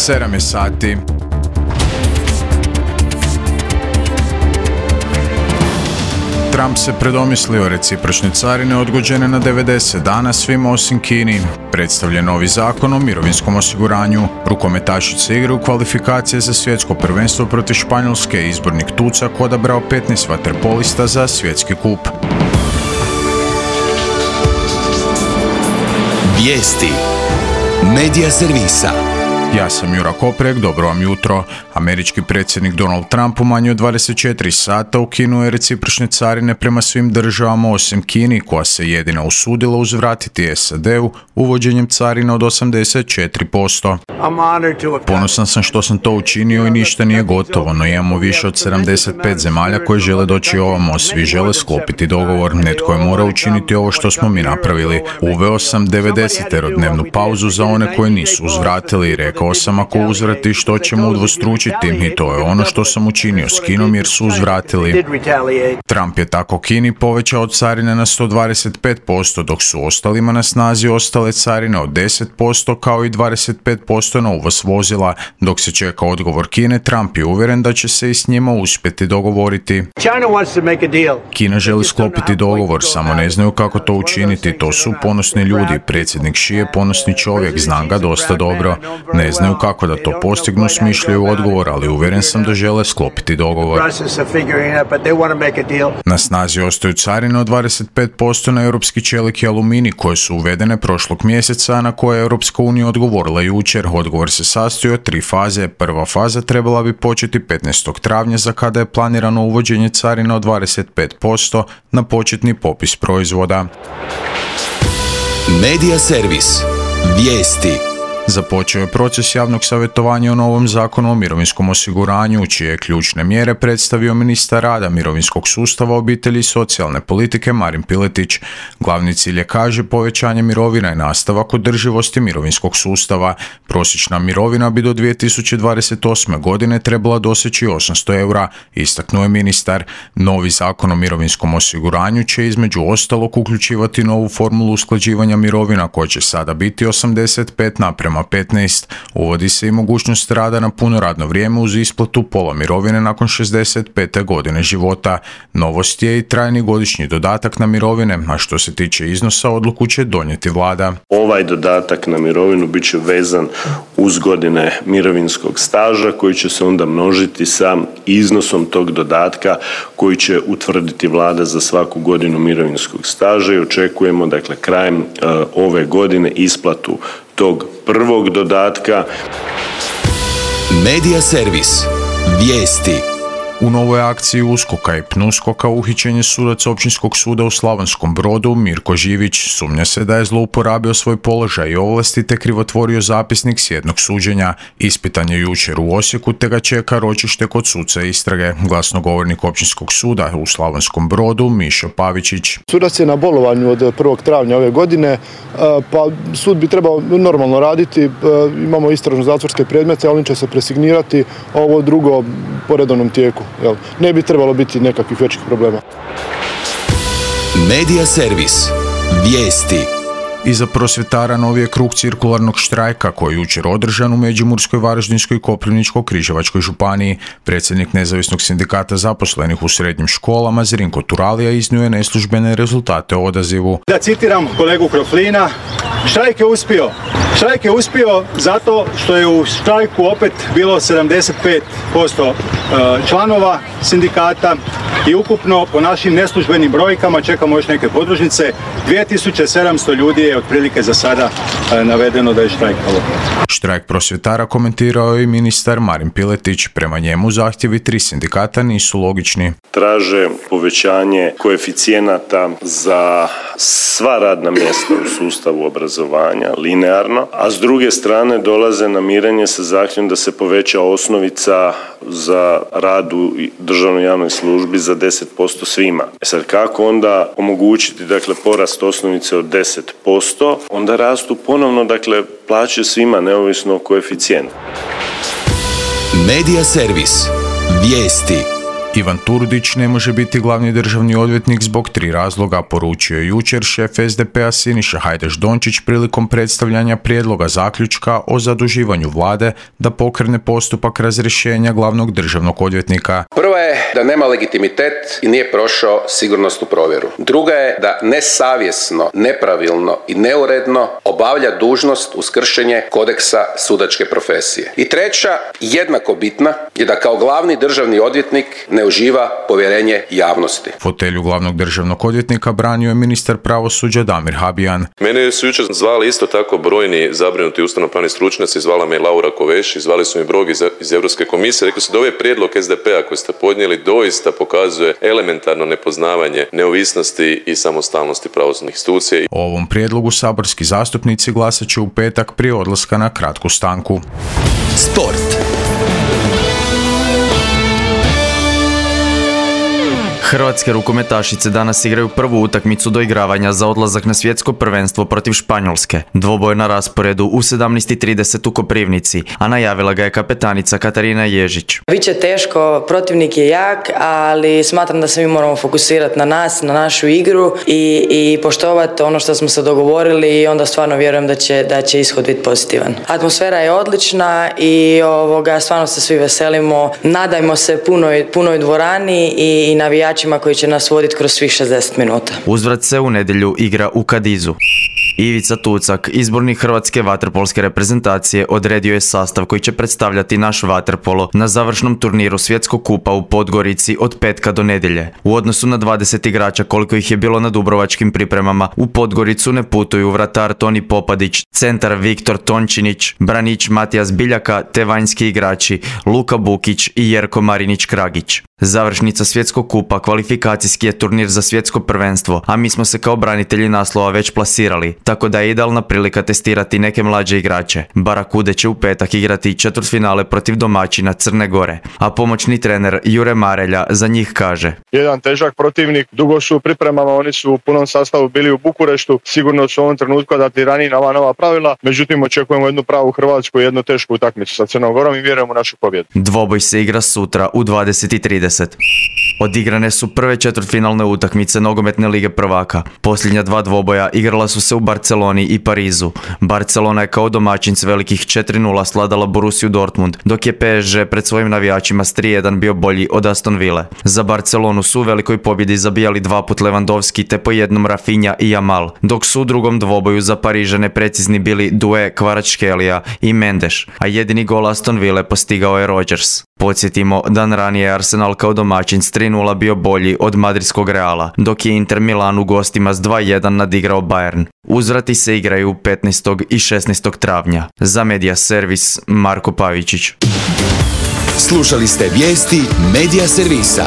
7 je sati. Trump se predomislio, recipročne carine odgođene na 90 dana svima osim Kini. Predstavljen novi zakon o mirovinskom osiguranju. Rukometašice igraju kvalifikacije za svjetsko prvenstvo protiv Španjolske. Izbornik Tucak odabrao 15 vaterpolista za svjetski kup. Vijesti Medija servisa. Ja sam Jura Koprek, dobro vam jutro. Američki predsjednik Donald Trump u manje od 24 sata ukinuo je recipročne carine prema svim državama osim Kini, koja se jedina usudila uzvratiti SAD-u uvođenjem carina od 84%. Ponosan sam što sam to učinio i ništa nije gotovo, no imamo više od 75 zemalja koje žele doći ovamo, svi žele sklopiti dogovor, netko je morao učiniti ovo što smo mi napravili. Uveo sam 90-dnevnu pauzu za one koje nisu uzvratili i rekao sam ako uzvrati što ćemo udvostručiti i to je ono što sam učinio s Kinom jer su uzvratili. Trump je tako Kini povećao carine na 125%, dok su ostalima na snazi ostale carine od 10% kao i 25% na uvoz vozila. Dok se čeka odgovor Kine, Trump je uvjeren da će se i s njima uspjeti dogovoriti. Kina želi sklopiti dogovor, samo ne znaju kako to učiniti. To su ponosni ljudi, predsjednik Xi je ponosni čovjek, znam ga dosta dobro. Ne znaju kako da to postignu, smišljaju odgovor, ali uvjeren sam da žele sklopiti dogovor. Na snazi ostaju carine od 25% na europski čelik i aluminij koje su uvedene prošlog mjeseca, a na koje je Europska unija odgovorila jučer. Odgovor se sastoji od 3 faze. Prva faza trebala bi početi 15. travnja za kada je planirano uvođenje carina od 25% na početni popis proizvoda. Medija servis. Vijesti. Započeo je proces javnog savjetovanja o novom zakonu o mirovinskom osiguranju, čije je ključne mjere predstavio ministar rada, mirovinskog sustava, obitelji i socijalne politike Marin Piletić. Glavni cilj je, kaže, povećanje mirovina i nastavak održivosti mirovinskog sustava. Prosječna mirovina bi do 2028. godine trebala doseći 800 eura, istaknuo je ministar. Novi zakon o mirovinskom osiguranju će između ostalog uključivati novu formulu usklađivanja mirovina koja će sada biti 85:15. Uvodi se i mogućnost rada na puno radno vrijeme uz isplatu pola mirovine nakon 65. godine života. Novost je i trajni godišnji dodatak na mirovine, a što se tiče iznosa, odluku će donijeti vlada. Ovaj dodatak na mirovinu bit će vezan uz godine mirovinskog staža koji će se onda množiti sa iznosom tog dodatka koji će utvrditi vlada za svaku godinu mirovinskog staža i očekujemo dakle krajem ove godine isplatu tog prvog dodatka. Medija servis. Vijesti. U novoj akciji USKOK-a i PNUSKOK-a uhićen je sudac Općinskog suda u Slavonskom Brodu Mirko Živić. Sumnja se da je zlouporabio svoj položaj i ovlasti te krivotvorio zapisnik s jednog suđenja. Ispitan je jučer u Osijeku te ga čeka ročište kod suca istrage. Glasnogovornik Općinskog suda u Slavonskom Brodu Mišo Pavičić. Sudac je na bolovanju od 1. travnja ove godine, pa sud bi trebao normalno raditi. Imamo istražno zatvorske predmete, ali će se presignirati, ovo drugo po redovnom tijeku. Ne bi trebalo biti nekakvih većih problema. Medija servis. Vijesti. Iza prosvjetara novi je krug cirkularnog štrajka koji je jučer održan u Međimurskoj, Varaždinskoj i Koprivničko-križevačkoj županiji. Predsjednik nezavisnog sindikata zaposlenih u srednjim školama Zrinko Turalija iznio je neslužbene rezultate o odazivu. Da citiram kolegu Kroflina, štrajk je uspio. Štrajk je uspio zato što je u štrajku opet bilo 75% članova sindikata i ukupno po našim neslužbenim brojkama, čekamo još neke podružnice, 2700 ljudi je otprilike za sada navedeno da je štrajkalo. Štrajk prosvjetara komentirao je i ministar Marin Piletić. Prema njemu zahtjevi 3 sindikata nisu logični. Traže povećanje koeficijenata za sva radna mjesta u sustavu obrazovanja linearno, a s druge strane dolaze na mirenje sa zahtjevom da se poveća osnovica za rad u državnoj javnoj službi za 10% svima. Sad kako onda omogućiti porast osnovice od 10%, onda rastu ponovno plaće svima neovisno o koeficijentu. Medija servis. Vijesti. Ivan Turudić ne može biti glavni državni odvjetnik zbog 3 razloga, poručio je jučer šef SDP-a Siniša Hajdaš-Dončić prilikom predstavljanja prijedloga zaključka o zaduživanju vlade da pokrene postupak razrješenja glavnog državnog odvjetnika. Prva je da nema legitimitet i nije prošao sigurnosnu provjeru. Druga je da nesavjesno, nepravilno i neuredno obavlja dužnost uz kršenje kodeksa sudačke profesije. I treća, jednako bitna, je da kao glavni državni odvjetnik ne uživa povjerenje javnosti. Fotelju glavnog državnog odvjetnika branio je ministar pravosuđa Damir Habijan. Mene su jučer zvali isto tako brojni zabrinuti ustavnopravni stručnjaci, zvala me i Laura Kovesi, zvali su mi brojni iz Europske komisije, rekli su da ovaj prijedlog SDP-a koji ste podnijeli doista pokazuje elementarno nepoznavanje neovisnosti i samostalnosti pravosudnih institucija. O ovom prijedlogu saborski zastupnici glasat će u petak prije odlaska na kratku stanku. Sport. Hrvatske rukometašice danas igraju prvu utakmicu doigravanja za odlazak na svjetsko prvenstvo protiv Španjolske. Dvoboj na rasporedu u 17:30 u Koprivnici, a najavila ga je kapetanica Katarina Ježić. Biće teško, protivnik je jak, ali smatram da se mi moramo fokusirati na nas, na našu igru i poštovati ono što smo se dogovorili i onda stvarno vjerujem da će ishod biti pozitivan. Atmosfera je odlična i stvarno se svi veselimo. Nadajmo se punoj dvorani i navijačima koji će nas voditi kroz svih 60 minuta. Uzvrat se u nedjelju igra u Kadizu. Ivica Tucak, izbornik hrvatske vaterpolske reprezentacije, odredio je sastav koji će predstavljati naš vaterpolo na završnom turniru Svjetskog kupa u Podgorici od petka do nedjelje. U odnosu na 20 igrača koliko ih je bilo na dubrovačkim pripremama, u Podgoricu ne putuju vratar Toni Popadić, centar Viktor Tončinić, branič Matijas Biljaka te vanjski igrači Luka Bukić i Jerko Marinić-Kragić. Završnica Svjetskog kupa kvalifikacijski je turnir za svjetsko prvenstvo, a mi smo se kao branitelji naslova već plasirali, tako da je idealna prilika testirati neke mlađe igrače. Barakude će u petak igrati četvrtfinale protiv domaćina Crne Gore, a pomoćni trener Jure Marelja za njih kaže: jedan težak protivnik, dugo su u pripremama, oni su u punom sastavu bili u Bukureštu, sigurno su u ovom trenutku adaptirani na ova nova pravila, međutim očekujemo jednu pravu Hrvatsku i jednu tešku utakmicu sa Crnom Gorom i vjerujemo u našu pobjedu. Dvoboj se igra sutra u 20:30. Odigrane su prve četvrtfinalne utakmice nogometne lige prvaka. Posljednja 2 dvoboja igrala su se u Barceloni i Parizu. Barcelona je kao domaćin s velikih 4:0 sladala Borussiju Dortmund, dok je PSG pred svojim navijačima s 3:1 bio bolji od Aston Ville. Za Barcelonu su u velikoj pobjedi zabijali 2 put Lewandowski te po jednom Rafinha i Yamal, dok su u drugom dvoboju za Parižane precizni bili Doué, Kvaratskhelia i Mendes, a jedini gol Aston Ville postigao je Rodgers. Podsjetimo, dan ranije je Arsenal kao domaćin s 3:0 bio bolji od madridskog Reala, dok je Inter Milan u gostima s 2:1 nadigrao Bayern. Uzvrati se igraju 15. i 16. travnja. Za Media Servis, Marko Pavičić. Slušali ste vijesti Media Servisa.